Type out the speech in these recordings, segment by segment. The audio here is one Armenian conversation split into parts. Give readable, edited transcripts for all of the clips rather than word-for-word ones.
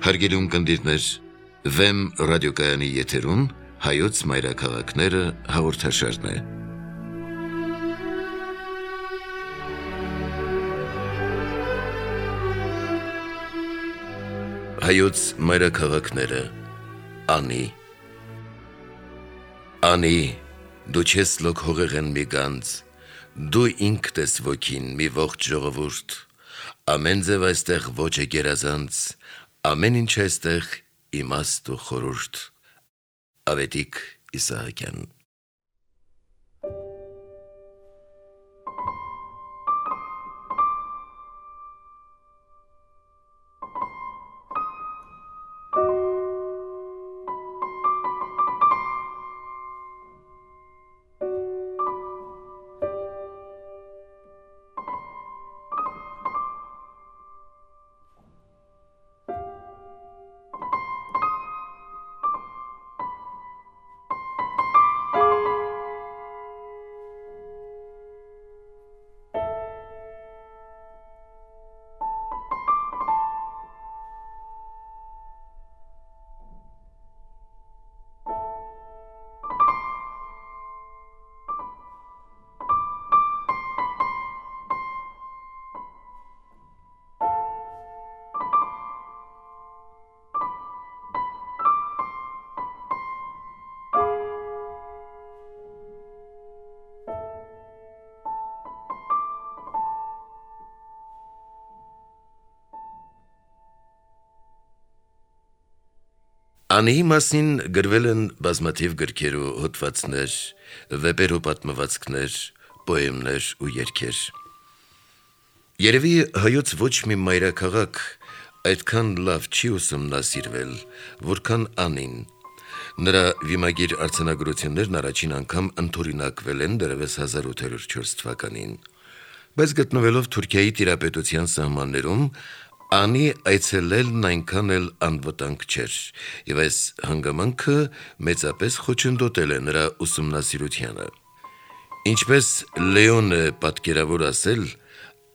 Հարգելի ունկնդիրներ, Վեմ ռադիոկայանի եթերում հայոց մայրաքաղաքները հաղորդաշարն է։ Հայոց մայրաքաղաքները Անի Անի, դու չես լոք հողեղեն մի գանձ, դու ինքդ ես ոգին մի ողջ ժողովուրդ, ամեն ձև այստեղ ոչ է գերազանց, ամեն ինչ այստեղ իմաստ ու խորուրդ։ Ավետիք Իսահակյան։ Անիի մասին գրվել են բազմաթիվ գրքեր ու հոդվածներ, վեպեր ու պատմվածքներ, պոեմներ ու երգեր։ Երևի հայոց ոչ մի մայրաքաղաք այդքան լավ չի ուսումնասիրվել, որքան Անին։ Նրա վիմագիր արձանագրություններն առաջին անգամ ընդօրինակվել են դեռևս 1804 թվականին, բայց գտնվելով Թուրքիայի տիրապետության սահմաններում, Անի այցելելն այնքան էլ անվտանգ չէր, եւ այս հանգամանքը մեծապես խոչընդոտել է նրա ուսումնասիրությանը։ Ինչպես Լեոնը պատկերավոր ասել,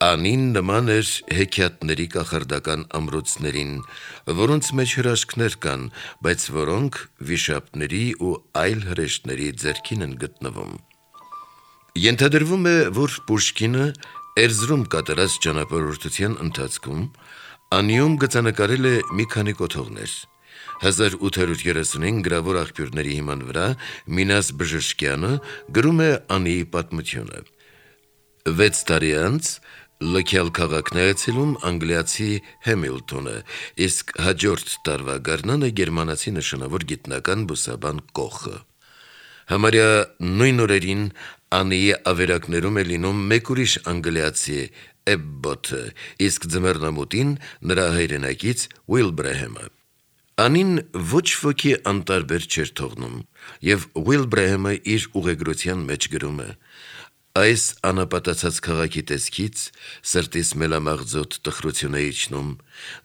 Անին նման էր հեքիաթների կախարդական ամրոցներին, որոնց մեջ հրաշքներ կան, բայց որոնք վիշապների ու այլ հրեշտների ձեռքին են գտնվում։ Ենթադրվում է, որ Պուշկինը Էրզրում կատարած ճանապարհորդության ընթացքում Անիում գծանկարել է մի քանի կոթողներ։ 1835 գրավոր աղբյուրների հիման վրա Մինաս Բժշկյանը գրում է Անիի պատմությունը։ 6 տարի անց լքյալ քաղաքն է այցելում անգլիացի Հեմիլտոնը, իսկ հաջորդ տարվա գարնանը գերմանացի նշանավոր գիտնական բուսաբան Կոխը։ Համարյա նույն օրերին Անիի ավերակներում է լինում մեկ ուրիշ անգլիացի Էբբոթը, իսկ ձմեռնամուտին նրա հայրենակից Ուիլբրեհեմը։ Անին ոչ ոքի անտարբեր չէր թողնում, եւ Ուիլբրեհեմը իր ուղեգրության մեջ գրում է. «Այս անապատացած քաղաքի տեսքից սրտիս մելամաղձոտ տխրություն է իջնում,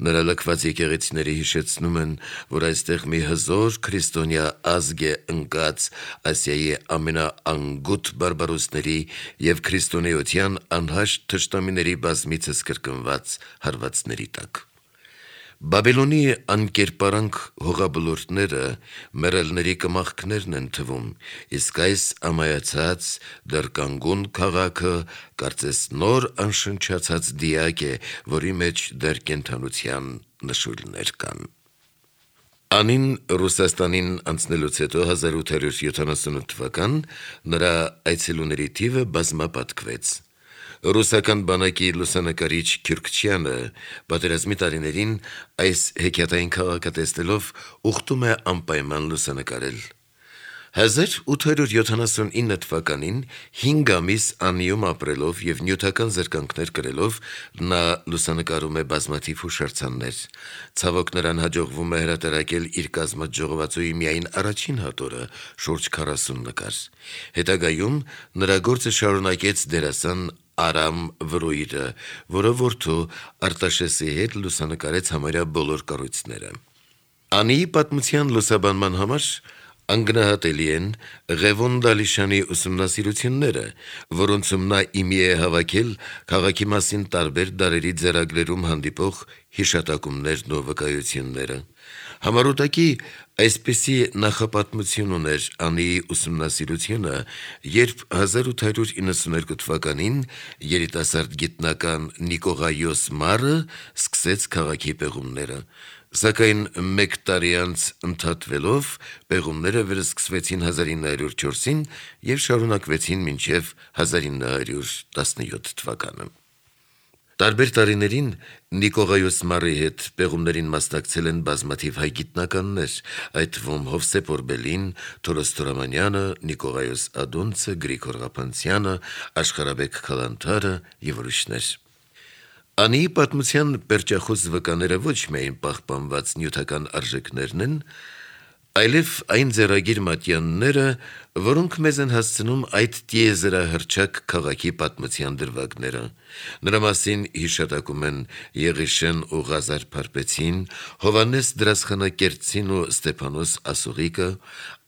նրա լքված եկեղեցիները հիշեցնում են, որ այստեղ մի հզոր քրիստոնյա ազգ է ընկած Ասիայի ամենաանգութ բարբարոսների եւ քրիստոնեության անհաշտ թշնամիների բազմիցս կրկնված հարվածների տակ։ Բաբելոնի անկերպարանք հողաբլուրները մեռելների կմախքներն են թվում, իսկ այս ամայացած դեռ կանգուն քաղաքը կարծես նոր անշնչացած դիակ է, որի մեջ դեռ կենդանության նշույլներ կան»։ Անին Ռուսաստանին անցնելուց հետո 1878 թվական նրա այցելուների թիվը բազմապատկվեց։ Ռուսական բանակի լուսանկարիչ Քյուրքչյանը պատերազմի տարիներին այս հեքիաթային քաղաքը տեսնելով ուխտում է անպայման լուսանկարել։ 1879 թվականին 5 ամիս Անիում ապրելով եւ նյութական զրկանքներ կրելով նա լուսանկարում է բազմաթիվ հուշարձաններ։ Ցավոք նրան հաջողվում է հրատարակել իր կազմած ժողովածուի միայն առաջին հատորը՝ շուրջ 40 նկար։ Հետագայում նրա գործը շարունակեց դերասան Արամ Վրոյիրը, որը որդու Արտաշեսի հետ լուսանկարեց համարյա բոլոր կառույցները։ Անիի պատմության լուսաբանման համար Անգնահատելի են Ղևոն Դալիշանի ուսումնասիրությունները, որոնցում նա իմի է հավաքել քաղաքի մասին տարբեր դարերի ձեռագրերում հանդիպող հիշատակումներն ու վկայությունները։ Համառոտակի այսպիսի նախապատմություն ուներ Անիի ուսումնասիրությունը, երբ 1892 թվականին երիտասարդ գիտնական Նիկողայոս Մարը սկսեց քաղաքի պեղումները, սակայն մեկ տարի անց ընդհատվելով պեղումները վերսկսվեցին 1904-ին և շարունակվեցին մինչև 1917 թվականը։ Տարբեր տարիներին Նիկողայոս Մարի հետ պեղումներին մասնակցել են բազմաթիվ հայ գիտնականներ, այդ թվում Հովսեփ Օրբելին, Թորոս Թորամանյանը, Նիկողայոս Ադոնցը, Գրիգոր Ղափանցյանը, Աշխարհաբեկ Քալանթարը և ուրիշներ։ Անիի պատմության պերճախոս վկաները ոչ միայն պահպանված նյութական արժեքներն են, այլև այն ձեռագիր մատյանները, որոնք մեզ են հասցնում այդ տիեզերահռչակ քաղաքի պատմության դրվագները։ Նրա մասին հիշատակում են Եղիշեն ու Ղազար Փարպեցին, Հովհաննես Դրասխանակերտցին ու Ստեփանոս Ասուղիկը,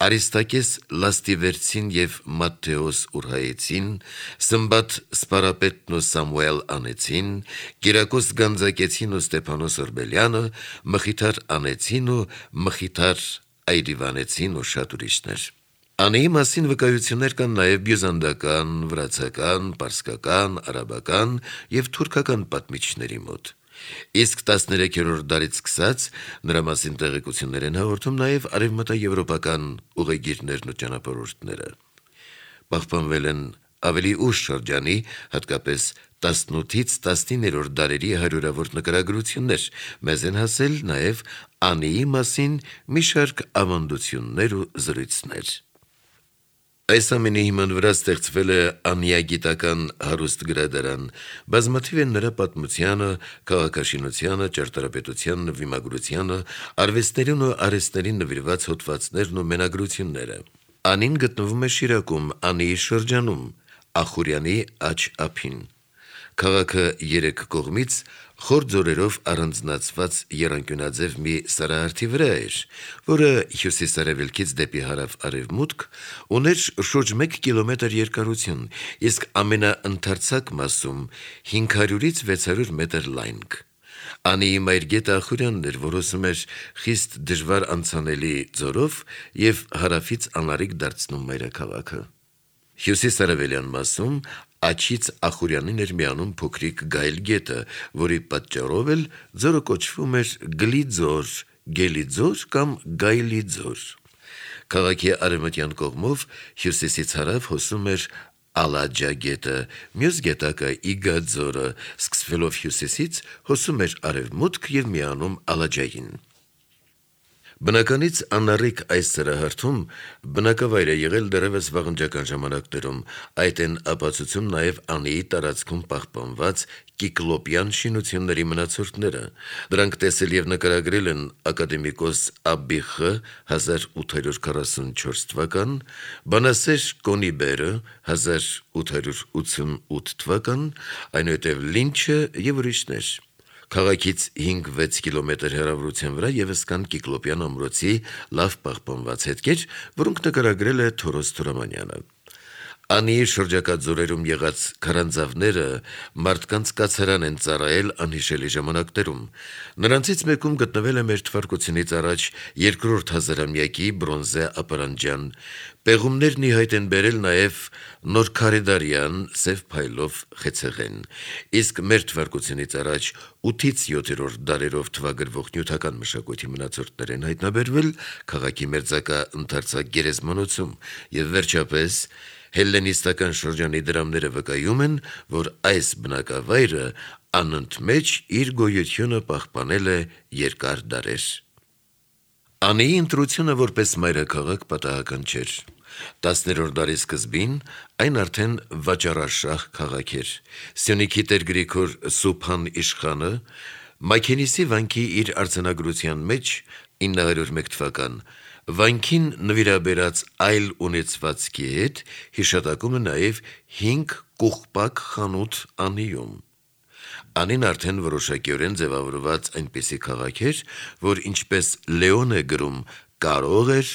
Արիստակես Լաստիվերցին և Մատթեոս Ուրհայեցին, Սմբատ Սպարապետն ու Սամուել Անեցին, Կիրակոս Գանձակեցին ու Ստեփանոս Օրբելյանը, Մխիթար Անեցին ու Մխիթար Այրիվանեցին ու շատ ուրիշներ։ Անիի մասին վկայություններ կան նաև բյուզանդական, վրացական, պարսկական, արաբական և թուրքական պատմիչների մոտ։ Իսկ 13-րդ դարից սկսած նրա մասին տեղեկություններ են հաղորդում նաև արևմտաեվրոպական ուղեգիրներն ու ճանապարհորդները։ Պահպանվել են ավելի ուշ շրջանի, հատկապես 18-ից 19-րդ դարերի հարյուրավոր նկարագրություններ, մեզ են հասել նաև Անիի մասին մի շարք ավանդություններ ու զրույցներ։ Այս ամենի հիման վրա ստեղծվել է անիագիտական հարուստ գրադարան, բազմաթիվ են նրա պատմությանը, քաղաքաշինությանը, ճարտարապետությանը, նվիմագրությանը, արվեստներին ու արհեստներին նվիրված հոդվածներն ու մենագրությունները։ Անին գտնվում է Շիրակում, Անիի շրջանում, Ախուրյանի աջ ափին։ Քաղաքը երեք կողմից խոր ձորերով առանձնացված եռանկյունաձև մի սարահարթի վրա էր, որը հյուսիս-արևելքից դեպի հարավ-արևմուտք ուներ շուրջ 1 կիլոմետր երկարություն, իսկ ամենաընդարձակ մասում 500-ից 600 մետր լայնք։ Անիի մայրգետը Ախուրյանն էր, որ հոսում էր խիստ դժվար անցանելի ձորով և հարավից անառիկ դարձնում մայրաքաղաքը։ Հյուսիս-արևելյան մասում աջից Ախուրյանին էր միանում փոքրիկ Գայլ գետը, որի պատճառով էլ ձորը կոչվում էր Գլի ձոր, Գելի ձոր կամ Գայլի ձոր։ Քաղաքի արևմտյան կողմով հյուսիսից հարավ հոսում էր Ալաջա գետը, մյուս գետակը Իգա ձորը, սկսվելով հյուսիսից հոսում էր արևմուտք և միանում Ալաջային։ Բնականից անառիկ այս սրահարթում բնակավայր է եղել դեռևս վաղնջական ժամանակներում, այդ են ապացուցում նաև Անիի տարածքում պահպանված կիկլոպյան շինությունների մնացորդները։ Դրանք տեսել և նկարագրել են ակադեմիկոս Աբիխը 1844 թվական, բանասեր Կոնիբերը 1888 թվական, այնուհետև Լինչը և ուրիշներ։ Քաղաքից 5-6 կիլոմետր հեռավորության վրա ևս կան Կիկլոպյան ամրոցի լավ պահպանված հետքեր, որոնք նկարագրել է Թորոս Թորամանյանը։ Անիի շրջակա ձորերում եղած քարանձավները մարդկանց կացարան են ծառայել անհիշելի ժամանակներում։ Նրանցից մեկում գտնվել է մ.թ.ա. 2-րդ հազարամյակի բրոնզե ապարանջան։ Պեղումներն ի հայտ են բերել նաև նորքարեդարյան սև փայլով խեցեղեն, իսկ մ.թ.ա. 8-ից 7-րդ դարերով թվագրվող նյութական մշակույթի մնացորդներ են հայտնաբերվել քաղաքի մերձակա ընդարձակ գերեզմանոցում, և վերջապես հելլենիստական շրջանի դրամները վկայում են, որ այս բնակավայրը անընդմեջ իր գոյությունը պահպանել է երկար դարեր։ Անիի ընտրությունը որպես մայրաքաղաք պատահական չէր։ 10-րդ դարի սկզբին այն արդեն վաճառաշահ քաղաք էր։ Սյունիքի տեր Գրիգոր Սուփան իշխանը Մաքենիսի վանքի իր արձանագրության մեջ 901 թվական վանքին նվիրաբերած այլ ունեցվածքի հետ հիշատակում է նաև 5 կուխպակ խանութ Անիում։ Անին արդեն որոշակիորեն ձևավորված այնպիսի քաղաք էր, որ ինչպես Լեոն է գրում, կարող էր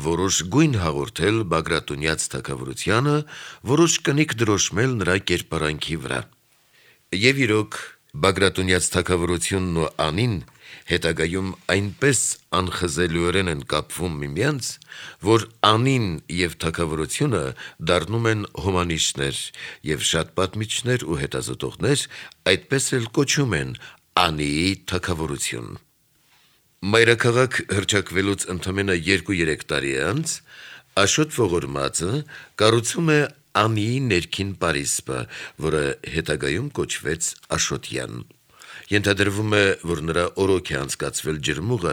որոշ գույն հաղորդել Բագրատունյաց թագավորությանը, որոշ կնիկ դրոշմել նրա կերպարանքի վրա։ Եվ իրոք Բագրատունյաց թագավորությունն ու անին հետագայում այնպես անխզելիորեն են կապվում միմյանց, որ անին եւ թագավորությունը դառնում են հոմանիշներ, եւ շատ պատմիչներ ու հետազոտողներ այդպես էլ կոչում են Անիի թագավորություն։ Մայրաքաղաք հռչակվելուց ընդամենը 2-3 տարի անց Աշոտ Ողորմածը կառուցում է Անիի ներքին պարիսպը, որը հետագայում կոչվեց Աշոտյան։ Ենթադրվում է, որ նրա օրոք է անցկացվել ջրմուղը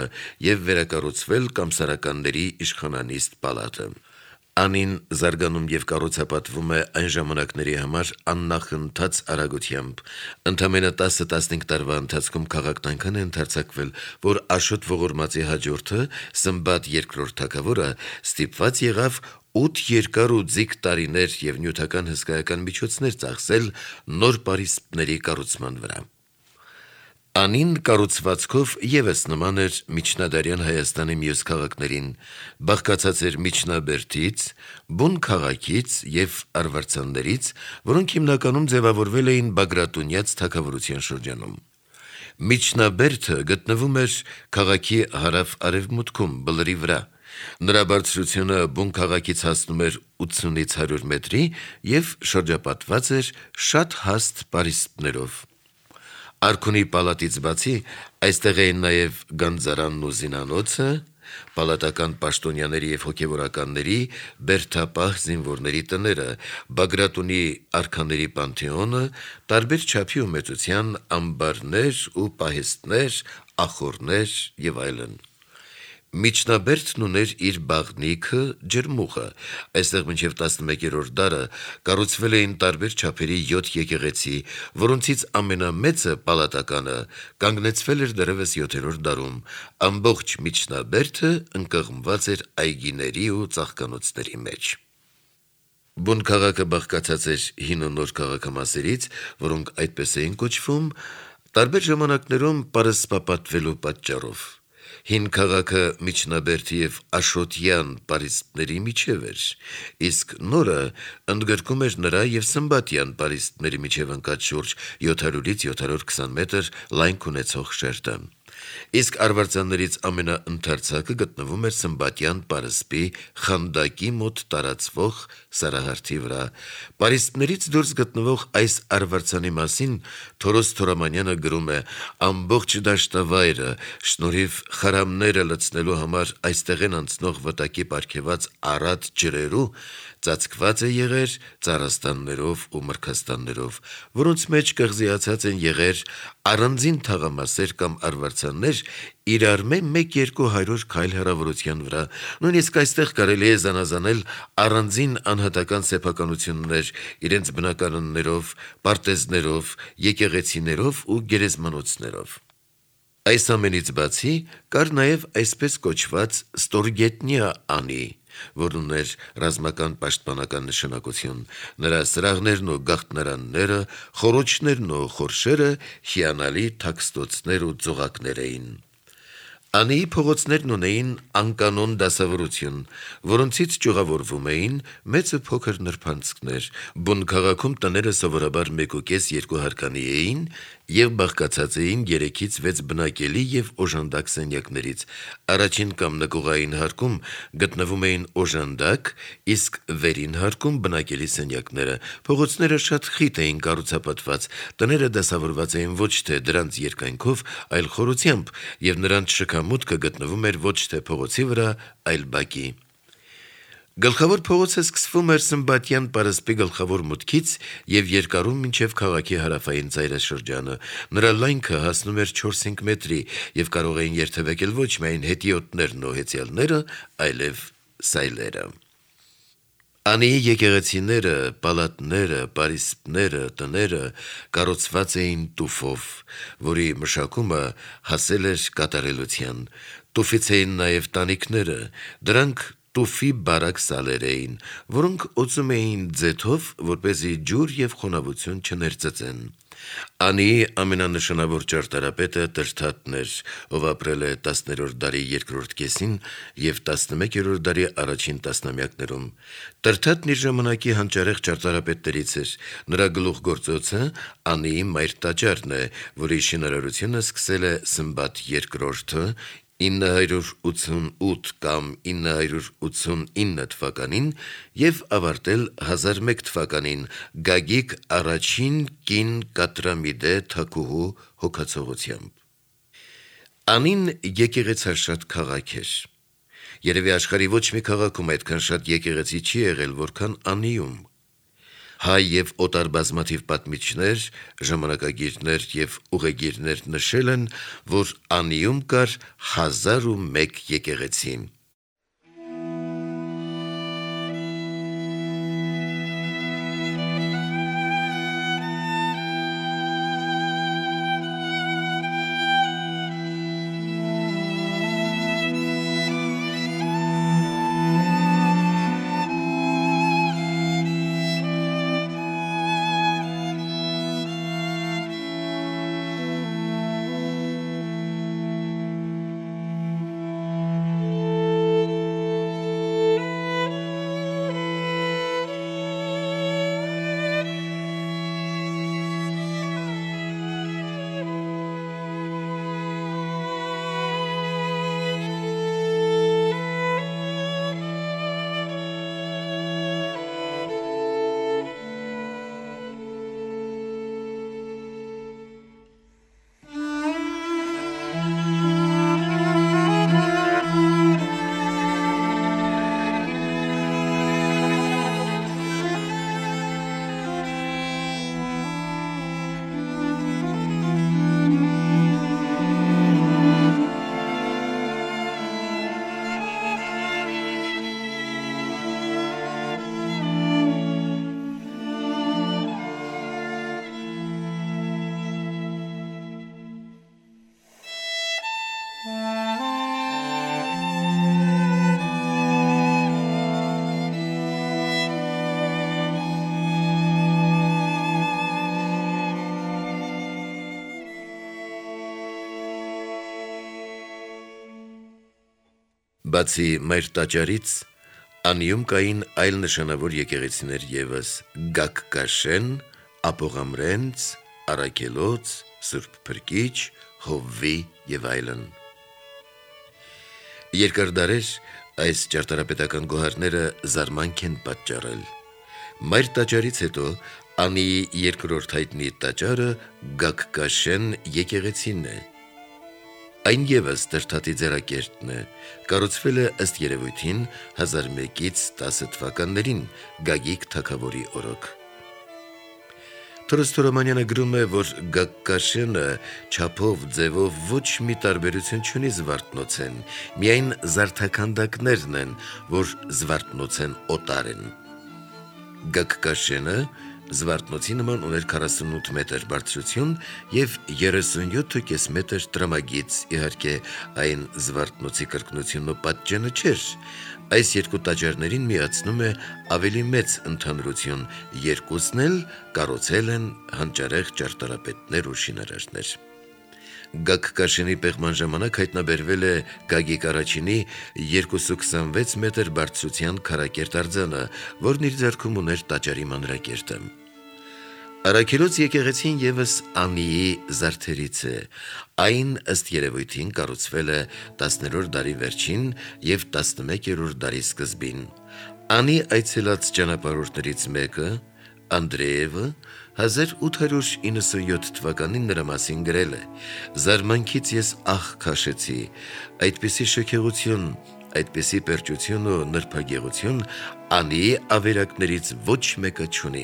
եւ վերակառուցվել կամսարականների իշխանանիստ պալատը։ Անին զարգանում եւ կառուցապատվում է այն ժամանակների համար աննախընթաց արագությամբ։ Ընդամենը 10-15 տարվա ընթացքում քաղաքն այնքան է ընդարձակվել, որ Աշոտ Ողորմածի հաջորդը Սմբատ II թագավորը ստիպված եղավ 8 երկար ու ձիգ տարիներ եւ նյութական հսկայական միջոցներ ծախսել նոր պարիսպների կառուցման վրա։ Անին կառուցվածքով եւս նման էր միջնադարյան Հայաստանի մյուս քաղաքներին, բաղկացած էր միջնաբերդից, բուն քաղաքից եւ արվարձաններից, որոնք հիմնականում ձևավորվել էին Բագրատունյաց թագավորության շրջանում։ Միջնաբերդը գտնվում էր քաղաքի հարավ-արևմուտքում, բլրի վրա։ Նրա բարձրությունը բուն քաղաքից հասնում էր 80-ից 100 մետրի եւ շրջապատված էր շատ հաստ պարիսպներով։ Արքունի պալատից բացի այստեղ էին նաև գանձարանն ու զինանոցը, պալատական պաշտոնյաների եւ հոգեվորականների բերդապահ զինվորների տները, Բագրատունի արքաների պանթեոնը, տարբեր չափի ու մեծության ամբարներ ու պահեստներ, ախոռներ եւ այլն։ Միջնաբերդն ուներ իր բաղնիքը, ջրմուղը։ Այստեղ մինչև 11-րդ դարը կառուցվել էին տարբեր չափերի 7 եկեղեցի, որոնցից ամենամեծը պալատականը կանգնեցվել էր դեռևս 7-րդ դարում։ Ամբողջ միջնաբերդը ընկղմված էր այգիների ու ծաղկանոցների մեջ։ Բուն քաղաքը բաղկացած էր հին ու նոր քաղաքամասերից, որոնք այդպես էին կոչվում, տարբեր ժամանակներում պարսպապատվելու պատճառով։ Հին քաղաքը միջնաբերդի եւ Աշոտյան պարիսպների միջև էր, իսկ նորը ընդգրկում էր նրա եւ Սմբատյան պարիսպների միջև ընկած շուրջ 700-ից 720 մետր լայնք ունեցող շերտը։ Իսկ արվարձաններից ամենաընդարձակը գտնվում էր Սմբատյան պարսպի խանդակի մոտ տարածվող սարահարթի վրա։ Պարիսպներից դուրս գտնվող այս արվարձանի մասին Թորոս Թորամանյանը գրում է. ամբողջ դաշտավայրը շնորհիվ խարամները լցնելու համար այստեղ են անցնող վտակի պարգևած առատ ջրերու ծածկված է եղեր ծառաստաններով ու մրգաստաններով, որոնց մեջ կղզիացած են եղեր առանձին թաղամասեր կամ արվարձաններ իրար 1-200 քայլ հեռավորության վրա։ Նույնիսկ այստեղ կարելի է զանազանել առանձին անհատական սեփականություններ իրենց բնակարաններով, պարտեզներով, եկեղեցիներով ու գերեզմանոցներով։ Այս ամենից բացի կար նաև այսպես կոչված ստորգետնյա Անի, որն ուներ ռազմական պաշտպանական նշանակություն։ Նրա սրահներն ու գաղտնարանները, խոռոչներն ու խորշերը հիանալի թաքստոցներ ու ծուղակներ էին։ Անիի փողոցներն ունեին անկանոն դասավորություն, որոնցից ճյուղավորվում էին մեծ ու փոքր նրբանցքներ։ Բուն քաղաքում տները սովորաբար 1.5-2 հարկանի էին եւ բաղկացած էին 3-ից 6 բնակելի եւ օժանդակ սենյակներից։ Առաջին կամ նկուղային հարկում գտնվում էին օժանդակ, իսկ վերին հարկում բնակելի սենյակները։ Փողոցները շատ խիտ էին կառուցապատված, տները դասավորված էին ոչ թե դրանց երկայնքով, այլ խորությամբ, եւ նրանց շքամուտքը գտնվում էր ոչ թե փողոցի վրա, այլ բակի։ Գլխավոր փողոցը սկսվում էր Սմբատյան պարսպի գլխավոր մուտքից եւ երկարում մինչեւ քաղաքի հարավային ծայրաշրջանը։ Նրա լայնքը հասնում էր 4-5 մետրի եւ կարող էին երթևեկել ոչ միայն հետիոտներն ու հեծյալները, այլև սայլերը։ Անիի եկեղեցիները, պալատները, պարիսպները, տները կառուցված էին տուֆով, որի մշակումը հասել էր կատարելության։ Տուֆից էին նաև տանիքները, դրանք տուֆի բարակ սալեր էին, որոնք օծում էին ձեթով, որպեսզի ջուր եւ խոնավություն չներծծեն։ Անիի ամենանշանավոր ճարտարապետը Տրթատն էր, ով ապրել է 10-րդ դարի երկրորդ կեսին եւ 11-րդ դարի առաջին տասնամյակներում։ Տրթատն իր ժամանակի հանճարեղ ճարտարապետներից էր։ Նրա գլուխգործոցը Անիի մայր տաճարն է, որի շինարարությունը սկսել է Սմբատ II 988 կամ 989 թվականին եւ ավարտել 1001 թվականին Գագիկ առաջին կին Կատրամիդե թագուհու հոգացողությամբ։ Անին եկեղեցաշատ քաղաք էր։ Երևի աշխարհի ոչ մի քաղաքում այդքան շատ եկեղեցի չի եղել, որքան Անիում։ Հայ եւ օտար բազմաթիվ պատմիչներ, ժամանակագիրներ եւ ուղեգիրներ նշել են, որ Անիում կար 1001 եկեղեցի։ Բացի մայր տաճարից, Անիում կային այլ նշանավոր եկեղեցիներ ևս՝ Գակկաշեն, Ապողամրենց, Արաքելոց, Սուրբ Փրկիչ, Հովվի եւ այլն։ Երկար դարեր այս ճարտարապետական գոհարները զարմանք են պատճառել։ Մայր տաճարից հետո Անիի երկրորդ հայտնի տաճարը Գակկաշեն եկեղեցին է։ Այն ևս Տրթատի ձեռակերտն է, կառուցվել է ըստ երևույթին 1001-ից 10 թվականներին Գագիկ թագավորի օրոք։ Թորոստորոմանյանը գրում է, որ Գակկաշենը չափով, ձևով ոչ մի տարբերություն չունի Զվարթնոցեն, միայն զարդաքանդակներն են, որ Զվարթնոցեն օտար են։ Գակկաշենը Զվարթնոցի նման ուներ 48 մետր բարձրություն եւ 37.5 մետր տրամագիծ, իհարկե այն Զվարթնոցի կրկնությունն ու պատճենը չէր։ Այս երկու տաճարներին միացնում է ավելի մեծ ընդհանրություն, երկուսն էլ կառուցել են հանճարեղ ճարտարապետներ ու շինարարներ։ Գակկաշենի պեղման ժամանակ հայտնաբերվել է Գագիկ առաջինի 226 մետր բարձրության քարակերտ արձանը, որն իր ձեռքում ուներ տաճարի մանրակերտը։ Արաքելոց եկեղեցին ևս Անիի զարդերից է։ Այն ըստ երևույթին կառուցվել է 10-րդ դարի վերջին եւ 11-րդ դարի սկզբին։ Անի այցելած ճանապարհորդներից մեկը, Անդրեևը, 1897 թվականին նրա մասին գրել է. «Զարմանքից ես ահ քաշեցի, այդպիսի շքեղություն, այդպիսի պերճություն ու նրբագեղություն Անիի ավերակներից ոչ մեկը չունի։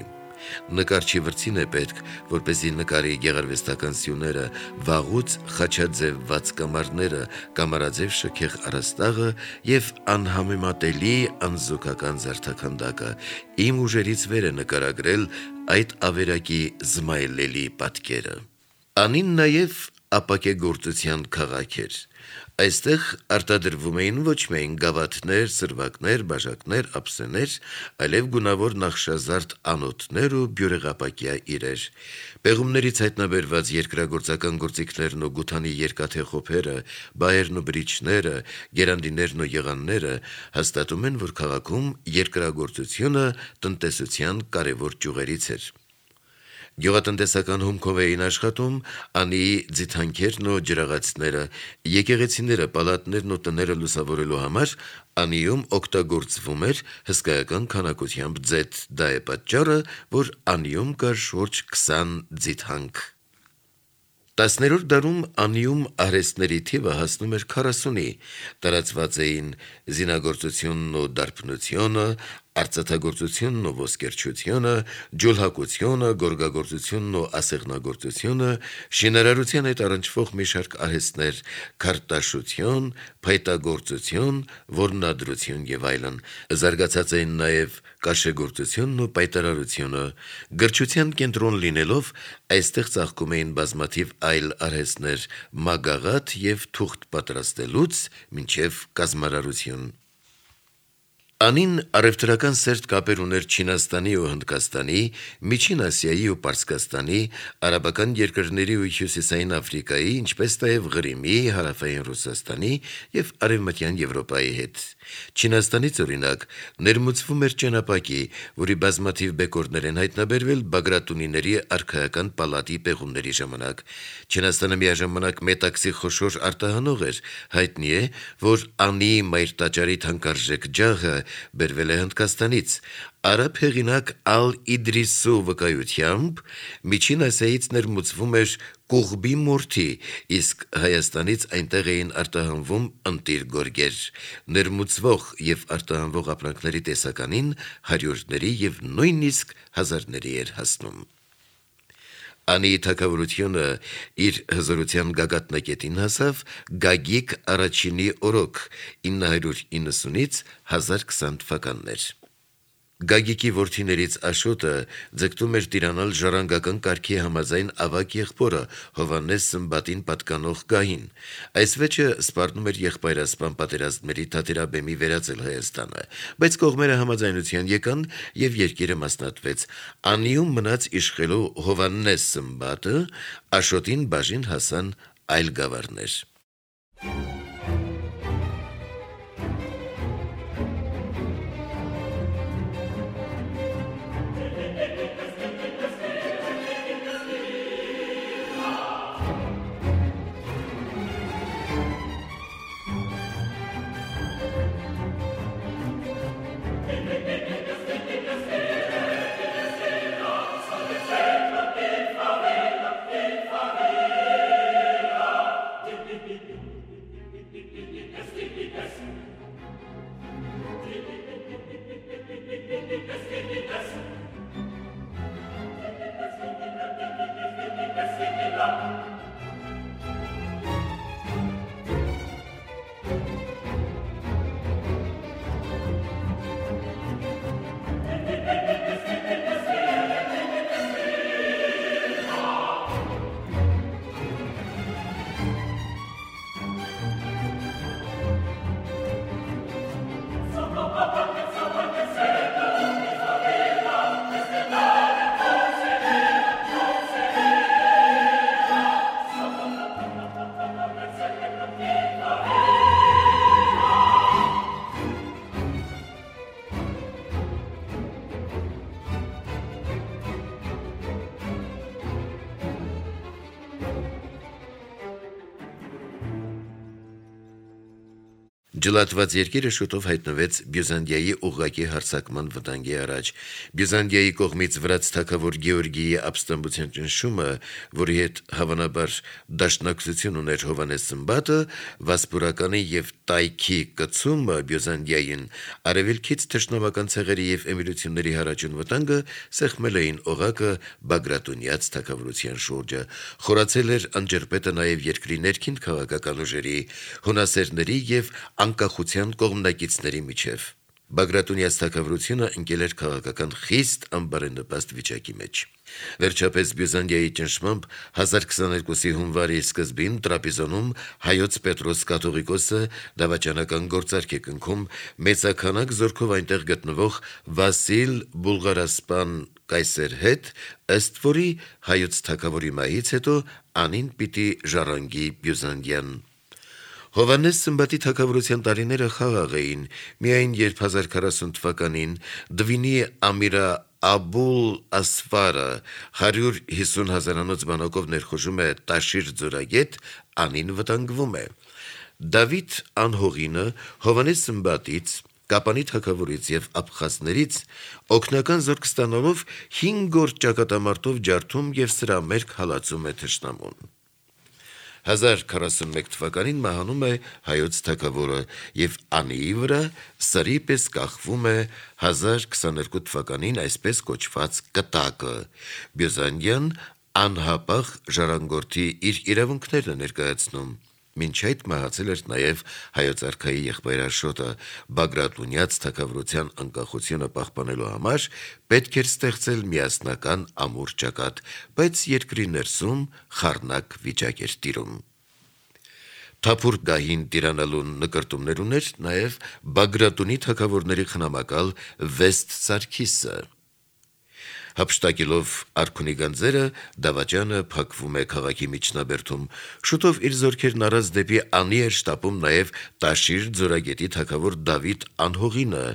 Նկարչի վրձին է պետք, որպեսզի նկարի գեղարվեստական սյուները, վաղուց խաչաձևված կամարները, կամարաձև շքեղ առաստաղը եւ անհամեմատելի անզուգական զարդաքանդակը։ Իմ ուժերից վեր է նկարագրել այդ ավերակի զմայլելի պատկերը»։ Անին նաեւ ապակեգործության քաղաք էր։ Այստեղ արտադրվում էին ոչ միայն գավաթներ, սրվակներ, բաժակներ, ափսեներ, այլև գունավոր նախշազարդ անոթներ ու բյուրեղապակյա իրեր։ Պեղումներից հայտնաբերված երկրագործական գործիքներն ու գութանի երկաթե խոփերը, բայերն ու բրիչները, գերանդիներն ու եղանները հաստատում են, որ քաղաքում երկրագործությունը տնտեսության կարևոր ճյուղերից էր։ Գյուղատնտեսական հումքով էին աշխատում Անիի ձիթանքերն ու ջրաղացները, եկեղեցիները, պալատներն ու տները լուսավորելու համար Անիում օգտագործվում էր հսկայական քանակությամբ ձեթ, դա է պատճառը, որ Անիում կար շուրջ 20 ձիթանք։ 10-րդ դարում Անիում արհեստների թիվը հասնում էր 40-ի, տարածված էին զինագործությունն ու դարբնությունը, արծաթագործությունն ու ոսկերչությունը, ջուլհակությունը, գորգագործությունն ու ասեղնագործությունը, շինարարության հետ առնչվող մի շարք արհեստներ, քարտաշություն, փայտագործություն, որմնադրություն եւ այլն։ Զարգացած էին նաեւ կաշեգործությունն ու պայտարարությունը։ Գրչության կենտրոն լինելով այստեղ ծաղկում էին բազմաթիվ այլ արհեստներ՝ մագաղաթ եւ թուղթ պատրաստելուց մինչեւ կազմարարություն։ Անին առևտրական սերտ կապեր ուներ Չինաստանի ու Հնդկաստանի, Միջին Ասիայի ու Պարսկաստանի, արաբական երկրների ու Հյուսիսային Աֆրիկայի, ինչպես նաև Ղրիմի, Հարավային Ռուսաստանի եւ Արևմտյան Եվրոպայի հետ։ Չինաստանից օրինակ ներմուծվում էր ճենապակի, որի բազմաթիվ բեկորներ են հայտնաբերվել Բագրատունիների արքայական պալատի պեղումների ժամանակ։ Չինաստանը միաժամանակ մետաքսի խոշոր արտահանող էր, հայտնի է, որ Անիի մայրտաճարի թանկարժեք ջահը բերվել է Հնդկաստանից։ Արաբ հեղինակ Ալ-Իդրիսու վկայությամբ Միջին Ասիայից ներմուծվում էր կուղբի մորթի, իսկ Հայաստանից այնտեղ էին արտահանվում ընտիր գորգեր։ Ներմուծվող եւ արտահանվող ապրանքների տեսականին հարյուրների եւ նույնիսկ հազարների էր հասնում։ Անիի թագավորությունը իր հզորության գագաթնակետին հասավ Գագիկ առաջինի օրոք 990-ից 1020 թվականներ։ Գագիկի որդիներից Աշոտը ձգտում էր տիրանալ ժառանգական կարգի համաձայն ավագ եղբորը Հովհաննես Սմբատին պատկանող գահին։ Այս վեճը սպառնում էր եղբայրասպան պատերազմների թատերաբեմի վերածել Հայաստանը, բայց կողմերը համաձայնության եկան եւ երկիրը մասնատվեց։ Անիում մնաց իշխելու Հովհաննես Սմբատը, Աշոտին բաժին հասան այլ գավառներ։ Ջլատված երկիրը շուտով հայտնվեց Բյուզանդիայի ուղղակի հարձակման վտանգի առաջ։ Բյուզանդիայի կողմից վրաց թագավոր Գեորգիի ապստամբության ճնշումը, որի հետ հավանաբար դաշնակցություն ուներ Հովհաննես Սմբատը, Վասպուրականի եւ Տայքի կցումը Բյուզանդիային, արևելքից թշնամական ցեղերի եւ էմիրությունների հարաճուն վտանգը սեղմել էին օղակը Բագրատունյաց թագավորության շուրջը։ Խորացել էր անջրպետը նաեւ երկրի ներքին քաղաքական ուժերի, հունասերների եւ անկախության կողմնակիցների միջև։ Բագրատունյաց թագավորությունը ընկել էր քաղաքական խիստ անբարենպաստ վիճակի մեջ։ Վերջապես Բյուզանդիայի ճնշմամբ 1022-ի հունվարի սկզբին Տրապիզոնում հայոց Պետրոս կաթողիկոսը դավաճանական գործարք է կնքում մեծաքանակ զորքով այնտեղ գտնվող Վասիլ Բուլղարասպան կայսեր հետ, ըստ որի հայոց թագավորի մահից հետո անին պիտի ժառանգի Բյուզանդիան։ Հովանես Սմբատի թագավորության տարիները խաղաղ էին, միայն երբ 1040 թվականին Դվինի Ամիրա Աբուլ Ասֆարը 150 հազարանոց բանակով ներխուժում է Տաշիր ձորագետ, անին վտանգվում է։ Դավիթ անհողինը Հովանես Սմբատից, Կապանի թագավորից եւ աբխազներից օգնական զորք ստանալով 5 օր ճակատամարտով ջարդում եւ սրա մերկ հալածում է թշնամուն։ 1041 թվականին մահանում է հայոց թագավորը եւ անիի վրա սրի պես կախվում է 1022 թվականին այսպես կոչված կտակը։ Բյուզանդիան անհապաղ ժառանգորդի իր իրավունքներն է ներկայացնում։ Մինչ այդ մահացել էր նաև հայոց արքայի եղբայր Աշոտը, Բագրատունյաց թագավորության անկախությունը պահպանելու համար պետք էր ստեղծել միասնական ամուր ճակատ, բայց երկրի ներսում խառնակ վիճակ էր տիրում։ Թափուր գահին տիրանալու նկրտումներ ուներ նաև Բագրատունի թագավորների խնամակալ Վեստ Սարգիսը։ Հափշտակելով արքունի գանձերը դավաճանը փակվում է քաղաքի միջնաբերդում։ Շուտով իր զորքերն առած դեպի անի էր շտապում նաև Տաշիր ձորագետի թագավոր Դավիթ անհողինը,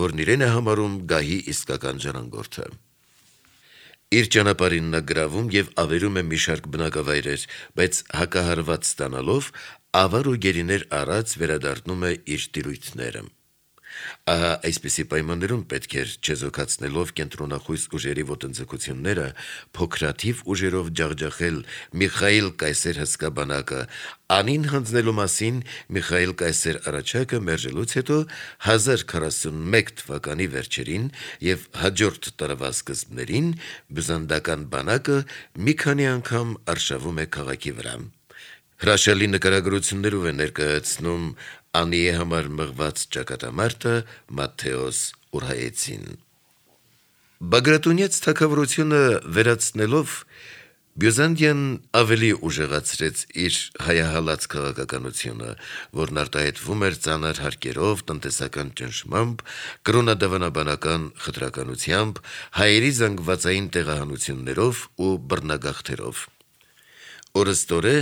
որն իրեն է համարում գահի իսկական ժառանգորդը։ Իր ճանապարհին նա գրավում եւ ավերում է մի շարք բնակավայրեր, բայց հակահարված ստանալով ավար ու գերիներ առած վերադառնում է իր տիրույթները։ Ահա այսպիսի պայմաններում պետք էր չեզոքացնելով կենտրոնախույս ուժերի ոտնձգությունները փոքրաթիվ ուժերով ջախջախել Միխայիլ կայսեր հսկաբանակը, անին հանձնելու մասին Միխայիլ կայսեր առաջակը մերժելուց հետո 1041 թվականի վերջերին եւ հաջորդ տարվա սկզբներին բյուզանդական բանակը մի քանի անգամ արշավում է քաղաքի վրա։ Հրաշալի նկարագրություններով է ներկայացնում անիի համար մղված ճակատամարտը Մատթեոս Ուրհայեցին։ Բագրատունյաց թագավորությունը վերացնելով Բյուզանդիան ավելի ուժեղացրեց իր հայահալած քաղաքականությունը, որն արտահայտվում էր ծանր հարկերով, տնտեսական ճնշմամբ, կրոնադավանաբանական խտրականությամբ, հայերի զանգվածային տեղահանություններով ու բռնագաղթերով։ Օրըստորե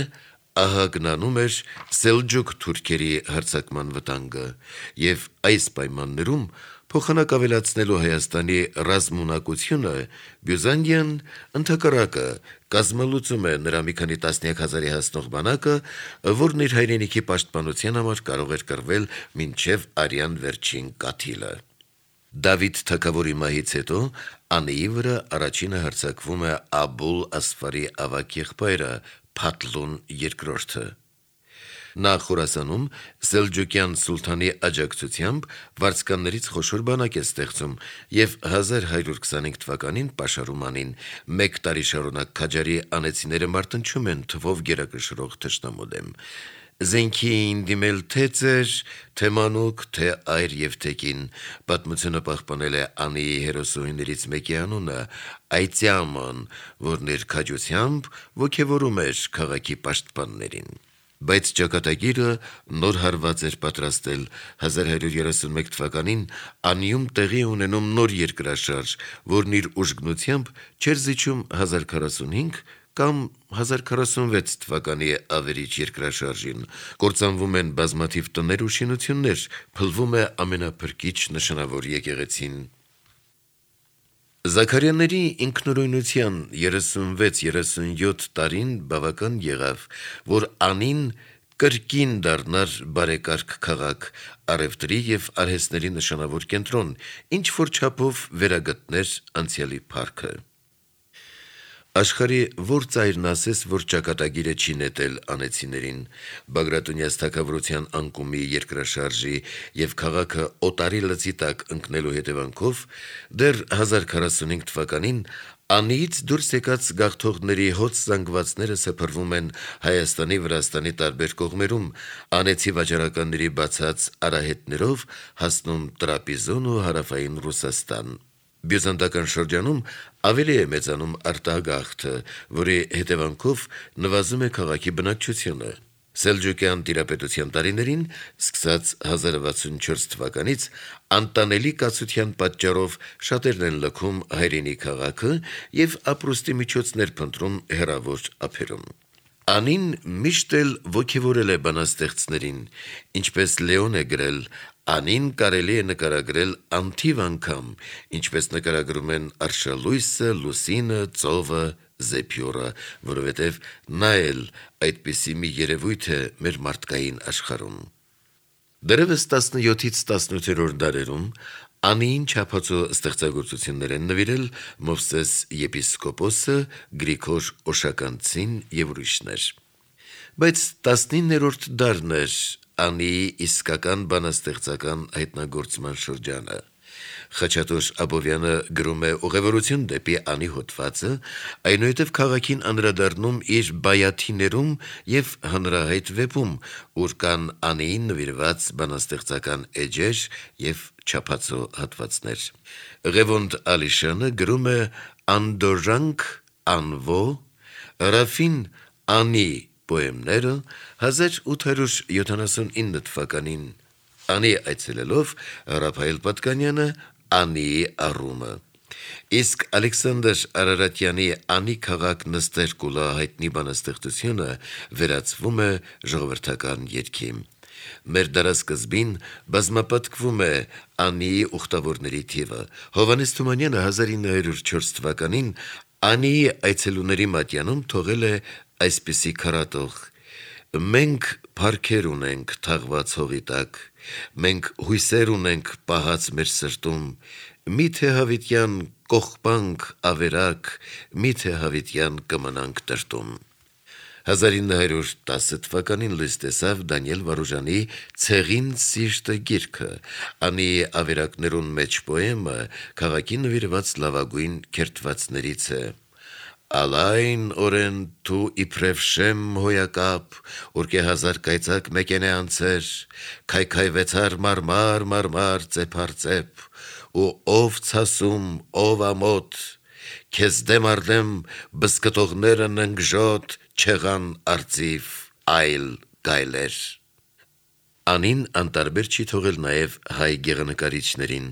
ահագնանում էր Սելջուկ թուրքերի հարձակման վտանգը, եւ այս պայմաններում փոխանակ ավելացնելու Հայաստանի ռազմունակությունը Բյուզանդիան ընդհակառակը կազմալուծում է նրա մի քանի տասնյակ հազարի հասնող բանակը, որն իր հայրենիքի պաշտպանության համար կարող էր կռվել մինչև արյան վերջին կաթիլը։ Դավիթ թագավորի մահից հետո անիի վրա առաջինը հարձակվում է Աբուլ Ասֆարի ավագ եղբայրը Փաթլուն II։ Նա Խորասանում Սելջուկյան սուլթանի աջակցությամբ վարձկաններից խոշոր բանակ է ստեղծում եւ 1125 թվականին պաշարում անին։ Մեկ տարի շարունակ քաջարի անեցիները մարտնչում են թվով գերակշռող թշնամու դեմ։ Զենքի էին դիմել թե ծեր, թե մանուկ, թե այր եւ թեկին։ Պատմությունը պահպանել է անիի հերոսուհիներից մեկի անունը Այծյաման, որն իր քաջությամբ ոգևորում էր քաղաքի պաշտպաններին։ Բայց ճակատագիրը նոր հարված էր պատրաստել 1131 թվականին անիում տեղի ունենում նոր երկրաշարժ, որն իր ուժգնությամբ չէր զիջում 1045 կամ 1046 թվականի ավերիչ երկրաշարժին, կործանվում են բազմաթիվ տներ ու շինություններ, փլվում է ամենափրկիչ նշանավոր եկեղեցին։ Զաքարյանների ինքնուրույնության 36-37 տարին բավական եղավ, որ անին կրկին դառնար բարեկարգ քաղաք, առևտրի եւ արհեստների նշանավոր կենտրոն, ինչ որ չափով վերագտներ անցյալի փառքը։ Աշխարհի որ ծայրն ասես, որ ճակատագիրը չի նետել անեցիներին, Բագրատունյաց թագավորության անկումի երկրաշարժի եւ քաղաքը օտարի լծի տակ ընկնելու հետևանքով դեռ 1045 թվականին Անիից դուրս եկած գաղթողների հոծ զանգվածները սփռվում են Հայաստանի, Վրաստանի տարբեր կողմերում, անեցի վաճառականների բացած արահետներով հասնում Տրապիզոն ու հարավային Ռուսաստան։ Բյուզանդական շրջանում ավելի է մեծանում արտագաղթը, որի հետևանքով նվազում է քաղաքի բնակչությունը։ Սելջուկյան տիրապետության տարիներին, սկսած 1064 թվականից, անտանելի կացության պատճառով շատերն են լքում հայրենի քաղաքը եւ ապրուստի միջոցներ փնտրում հեռավոր ափերում։ Անին միշտ էլ ոգևորել է բանաստեղծներին, ինչպես Լեոն է գրել, Անին կարելի է նկարագրել անթիվ անգամ, ինչպես նկարագրում են արշալույսը, լուսինը, ծովը, զեփյուրը, որովհետև նա էլ այդպիսի մի երևույթ է մեր մարդկային աշխարհում։ Դեռևս 17-ից 18-րդ դարերում Անիին չափածո ստեղծագործություններ են նվիրել Մովսես եպիսկոպոսը, Գրիգոր Օշականցին եւ ուրիշներ։ Բայց 19-րդ դարն էր Անիի իսկական բանաստեղծական հայտնագործման շրջանը։ Խաչատուր Աբովյանը գրում է ուղևորություն դեպի Անի հոդվածը, այնուհետև քաղաքին անդրադառնում իր բայաթիներում եւ հանրահայտ վեպում, ուր կան Անիին նվիրված բանաստեղծական էջեր եւ չափածո հատվածներ։ Ղևոնդ Ալիշյանը գրում է Անդոժանք Անվո, Ռաֆին Անի պոեմները 1879 թվականին, Անի այցելելով Ռափայել Պատկանյանը Անիի առումը։ Իսկ Ալեքսանդր Արարատյանի Անի քաղաք նստեր կուլա հայտնի բանաստեղծությունը վերածվում է ժողովրդական երգի։ Մեր դարասկզբին բազմապատկվում է Անիի ուխտավորների թիվը։ Հովհաննես Թումանյանը 1904 թվականին Անիի այցելուների մատյանում թողել է այսպիսի քառատող. «Մենք փառքեր ունենք թաղված հողի տակ, մենք հույսեր ունենք պահած մեր սրտում, միթե հավիտյան կողպանք ավերակ, միթե հավիտյան կմնանք տրտում»։ 1910 թվականին լույս տեսավ Դանիել Վարուժանի «Ցեղին սիրտը» գիրքը, Անիի ավերակներուն մեջ պոեմը քաղաքի նվիրված լավագույն քերթվածներից է։ Ալայն օրեն դու իբրև շեմ հոյակապ, ուրկե հազար կայծակ մեկեն է անցեր, քայքայվեցար մարմար ծեփարծեպ, ու ով ցասում, ով ամոթ, քեզ դեմ արդեմ բսկտողները ննգժոտ չեղան արծիվ այլ գայլեր։ Անին անտարբեր չի թողել նաև հայ գեղանկարիչներին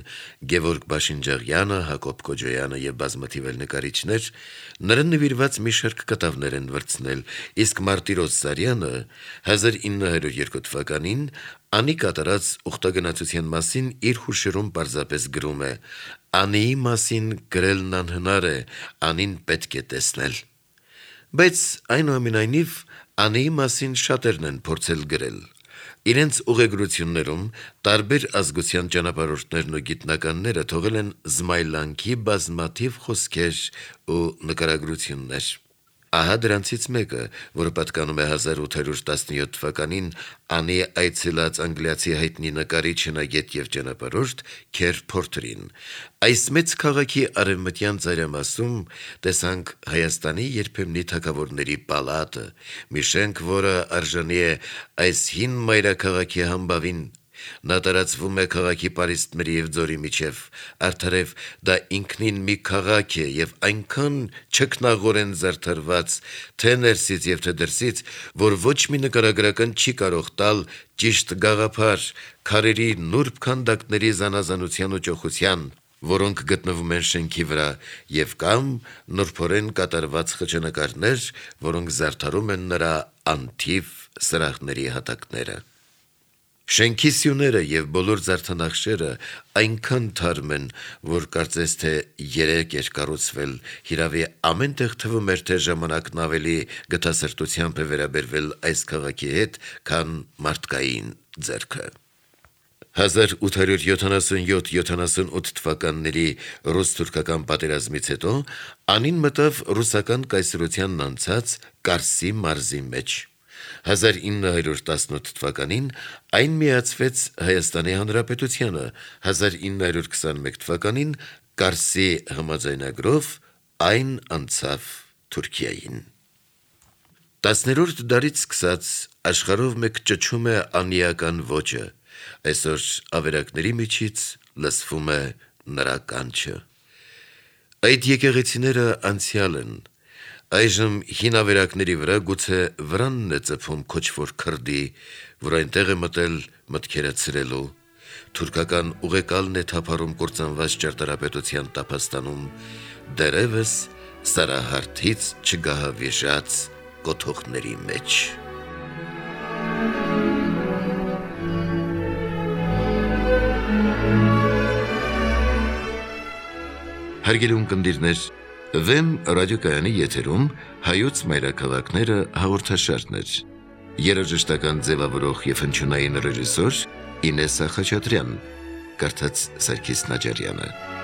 Գևորգ Բաշինջաղյանը, Հակոբ Կոջոյանը եւ բազմաթիվ այլ նկարիչներ նրան նվիրված մի շարք կտավներ են վրցնել, իսկ Մարտիրոս Սարյանը 1902 թվականին Անի կատարած ուխտագնացության մասին իր հուշերում պարզապես գրում է. «Անիի մասին գրելն անհնար է, Անին պետք է տեսնել»։ Բայց այնուամենայնիվ Անիի մասին շատերն են փորձել գրել։ Իրենց ուղեգրություններում տարբեր ազգության ճանապարհորդներն ու գիտնականները թողել են զմայլանքի բազմաթիվ խոսքեր ու նկարագրություններ։ Ահա դրանցից մեկը, որը պատկանում է 1817 թվականին Անի այցելած անգլիացի հայտնի նկարիչ, հնագետ եւ ճանապարհորդ Քեր Փորթերին։ Այս մեծ քաղաքի արևմտյան ծայրամասում տեսանք Հայաստանի երբեմնի թագավորների պալատը, մի շենք, որը արժանի է այս հին մայրաքաղաքի համբավին։ Նա տարածվում է քաղաքի պարիսպների եւ ձորի միջև, արդարև դա ինքնին մի քաղաք է եւ այնքան չքնաղորեն զարդարված, թե ներսից եւ թե դրսից, որ ոչ մի նկարագրական չի կարող տալ ճիշտ գաղափար քարերի նուրբ քանդակների զանազանության ու ճոխության, որոնք գտնվում են շենքի վրա, եւ կամ նուրբորեն կատարված խճանկարներ, որոնք զարդարում են նրա անթիվ սրահների հատակները։ Շենքի սյուները եւ բոլոր զարդանախշերը այնքան թարմ են, որ կարծես թե երեք էր կառուցվել, հիրավի ամեն տեղ թվում էր, թե ժամանակն ավելի գթասրտությամբ է վերաբերվել այս քաղաքի հետ, քան մարդկային ձեռքը։ 1877-78 թվականների ռուս-թուրքական պատերազմից հետո Անին մտավ ռուսական կայսրությանն անցած Կարսի մարզի մեջ։ 1918 թվականին այն միացվեց Հայաստանի Հանրապետությանը, 1921 թվականին Կարսի համաձայնագրով Այն անցավ Թուրքիային։ 10-րդ դարից սկսած աշխարհով մեկ ճչում է անիական ոճը, այսօր ավերակների միջից լսվում է նրա կանչը։ Այդ եկեղեցիները անցյալ են, այժմ հին ավերակների վրա գուցե վրանն է ծփում քոչվոր քրդի, որ այնտեղ է մտել մտքերը ցրելու, թուրքական ուղեկալն է թափառում կործանված ճարտարապետության տափաստանում, դեռևս սարահարթից չգահավիժած կոթողների մեջ։ Հարգելի ունկնդիրներ, Վեմ ռադիոկայանի եթերում հայոց մայրաքաղաքները հաղորդաշարն էր։ Երաժշտական ձևավորող և հնչյունային ռեժիսոր Ինեսա Խաչատրյան, կարդաց Սարգիս Նաջարյանը։